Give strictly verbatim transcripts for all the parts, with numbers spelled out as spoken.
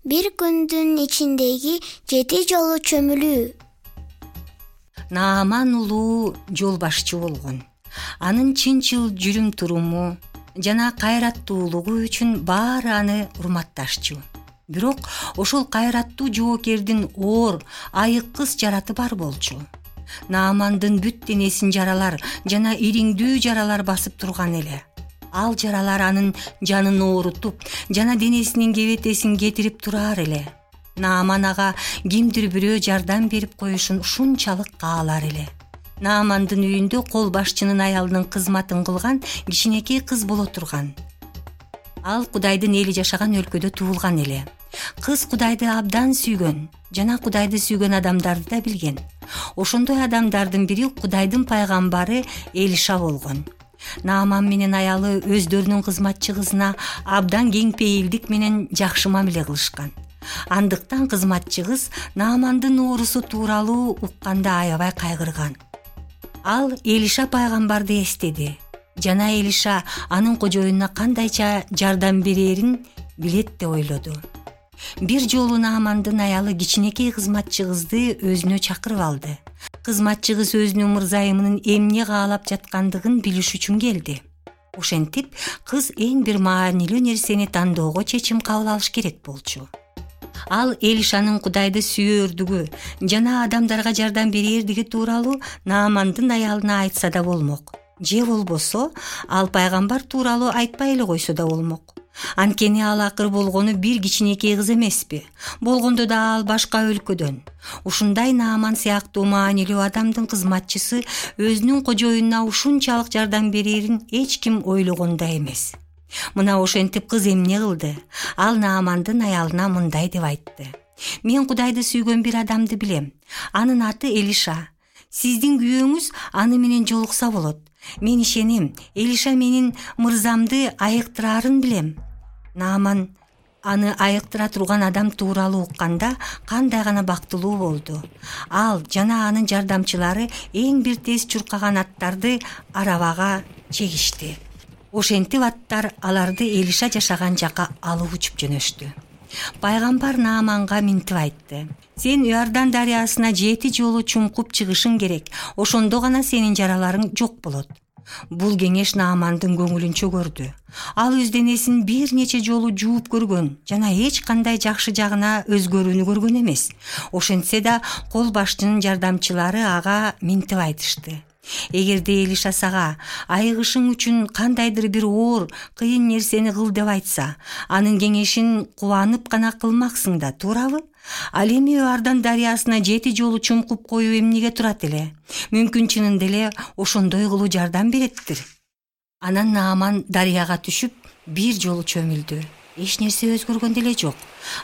Бир күндүн ичиндеги жети жолу чөмүлүү. Нааман улуу жол башчы болгон. Анын чынчыл жүрүм туруму жана кайраттуулугу үчүн баары аны урматташчу. Бирок ошол кайраттуу жоокердин оор, айыккыс жараты бар болчу. Наамандын бүт денесин жаралар жана ириңдүү жаралар басып турган эле. Ал жаралар анын жанын оорутуп жана денесинин кебетесин кетирип турар эле. Нааман ага кимдир бирөө жардам берип коюшун ушунчалык каалар эле. Наамандын үйүндө кол башчынын аялынын кызматын кылган кичинекей кыз боло турган. Ал Кудайдын эли жашаган өлкөдө туулган эле. Кыз Кудайды абдан сүйгөн жана Кудайды сүйгөн адамдарды да билген. Ошондой адамдардын бири Кудайдын пайгамбары Элиша болгон. Нааман менен аялы өздөрүнүн кызматчы кызына абдан кең пейилдик менен жакшы мамиле кылышкан. Андыктан кызматчы кыз Наамандын оорусу тууралуу укканда аябай кайгырган. Ал Элиша пайгамбарды эстеди жана Элиша анын кожоюнуна кандайча жардам берерин билет деп ойлоду. Бир жолу Наамандын аялы кичинекей кызматчы кызды өзүнө чакырып алды. Кызматчы кыз өзүнүн мырзайымынын эмне каалап жаткандыгын билиш үчүн келди. Ошентип кыз эң бир маанилүү нерсени тандоого чечим кабыл алыш керек болчу. Ал Элишанын Кудайды сүйөрдүгү жана адамдарга жардам берердиги тууралуу Наамандын аялына айтса да болмок. Же болбосо ал пайгамбар тууралуу айтпай эле койсо да болмок. Анткени ал акыр болгону бир кичинекей кыз эмеспи? Болгондо да ал башка өлкөдөн. Ушундай Нааман сыяктуу маанилүү адамдын кызматчысы өзүнүн кожоюнуна ушунчалык жардам берерин эч ким ойлогон да эмес. Мына ошентип кыз эмне кылды? Ал Наамандын аялына мындай деп айтты: "Мен Кудайды сүйгөн бир адамды билем. Анын аты Элиша. Сиздин күйөөңүз аны менен жолукса болот. Мен ишенем, Элиша менин мырзамды айыктырарын билем." Нааман аны айыктыра турган адам тууралуу укканда кандай гана бактылуу болду. Ал жана анын жардамчылары эң бир тез чуркаган аттарды арабага чегишти. Ошентип аттар аларды Элиша жашаган жака алып учуп жөнөштү. Пайгамбар Нааманга минтип айтты: "Сен Иордан дарыясына жети жолу чумкуп чыгышың керек. Ошондо гана сенин жараларың жок болот." Бул кеңеш Наамандын көңүлүн чөгөрдү. Ал өз денесин бир нече жолу жууп көргөн жана эч кандай жакшы жагына өзгөрүүнү көргөн эмес. Ошентсе да кол башчынын жардамчылары ага минтип айтышты: "Эгерде Элиша сага айыгышың үчүн кандайдыр бир оор, кыйын нерсени кыл деп айтса, анын кеңешин кубанып гана кылмаксың да, туурабы? Ал эми Иордан дарыясына жети жолу чумкуп коюу эмнеге турат эле? Мүмкүн чынында эле ошондой кылуу жардам береттир." Анан Нааман дарыяга түшүп бир жолу чөмүлдү. Эч нерсе өзгөргөн деле жок.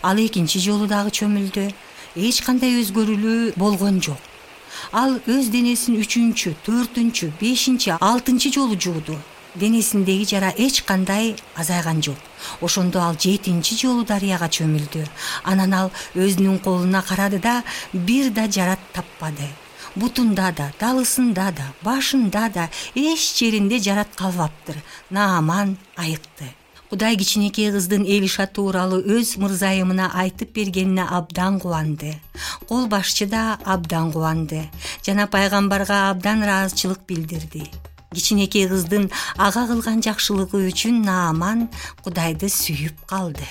Ал экинчи жолу дагы чөмүлдү. Эч кандай өзгөрүүлүү болгон жок. Ал өз денесин үчүнчү, төртүнчү, бешинчи, алтынчы жолу жууду. Денесиндеги жара эч кандай азайган жок. Ошондо ал жетинчи жолу дарыяга чөмүлдү. Анан ал өзүнүн колуна карады да бир да жарат таппады. Бутунда да, далысында да, башында да эч жеринде жарат калбаптыр. Нааман айыкты. Кудай кичинекей кыздын Элиша тууралуу өз мырзайымына айтып бергенине абдан кубанды. Кол башчы да абдан кубанды жана пайгамбарга абдан ыраазычылык билдирди. Кичинекей кыздын ага кылган жакшылыгы үчүн Нааман Кудайды сүйүп калды.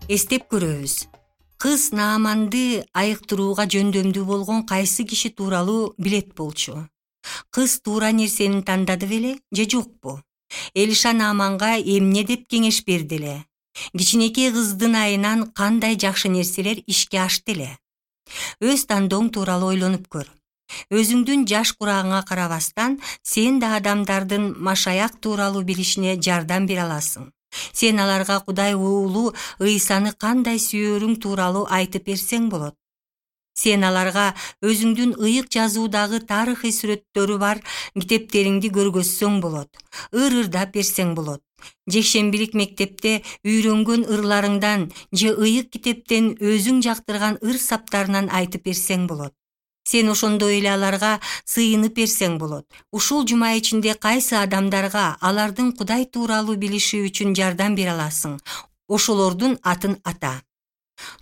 Эстеп көрөбүз. Кыз Нааманды айыктырууга жөндөмдүү болгон кайсы киши тууралуу билет болчу? Кыз туура нерсени тандады беле же жокпу? Элиша Нааманга эмне деп кеңеш берди эле? Кичинекей кыздын айынан кандай жакшы нерселер ишке ашты эле? Өз тандооң тууралуу ойлонуп көр. Өзүңдүн жаш курагыңа карабастан сен да адамдардын машаяк тууралуу билишине жардам бере аласың. Сен аларга Кудай уулу Ыйсаны кандай сүйөрүң тууралуу айтып берсең болот. Сен аларга өзүңдүн ыйык жазуудагы тарыхый сүрөттөрү бар китептериңди көргөзсөң болот. Ыр-ырдап берсең болот. Жекшембилик мектепте үйрөнгөн ырларыңдан же ыйык китептен өзүң жактырган ыр саптарынан айтып берсең болот. Сен ошондой эле аларга сыйынып берсең болот. Ушул жума ичинде кайсы адамдарга алардын Кудай тууралуу билиши үчүн жардам бере аласың? Ошолордун атын ата.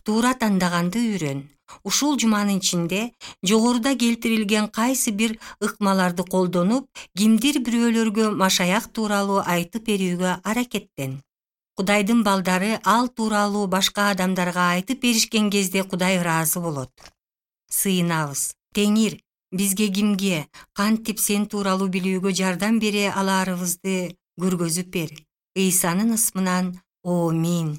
Туура тандаганды үйрөн. Ушул жуманын ичинде жогоруда келтирилген кайсы бир ыкмаларды колдонуп, кимдир бирөөлөргө машаяк тууралуу айтып берүүгө аракеттен. Кудайдын балдары ал тууралуу башка адамдарга айтып беришкен кезде Кудай ыраазы болот. Сыйынабыз. Теңир, бизге кимге, кантип сен тууралуу билүүгө жардам бере алаарыбызды көргөзүп бер. Ыйсанын ысмынан. Амин.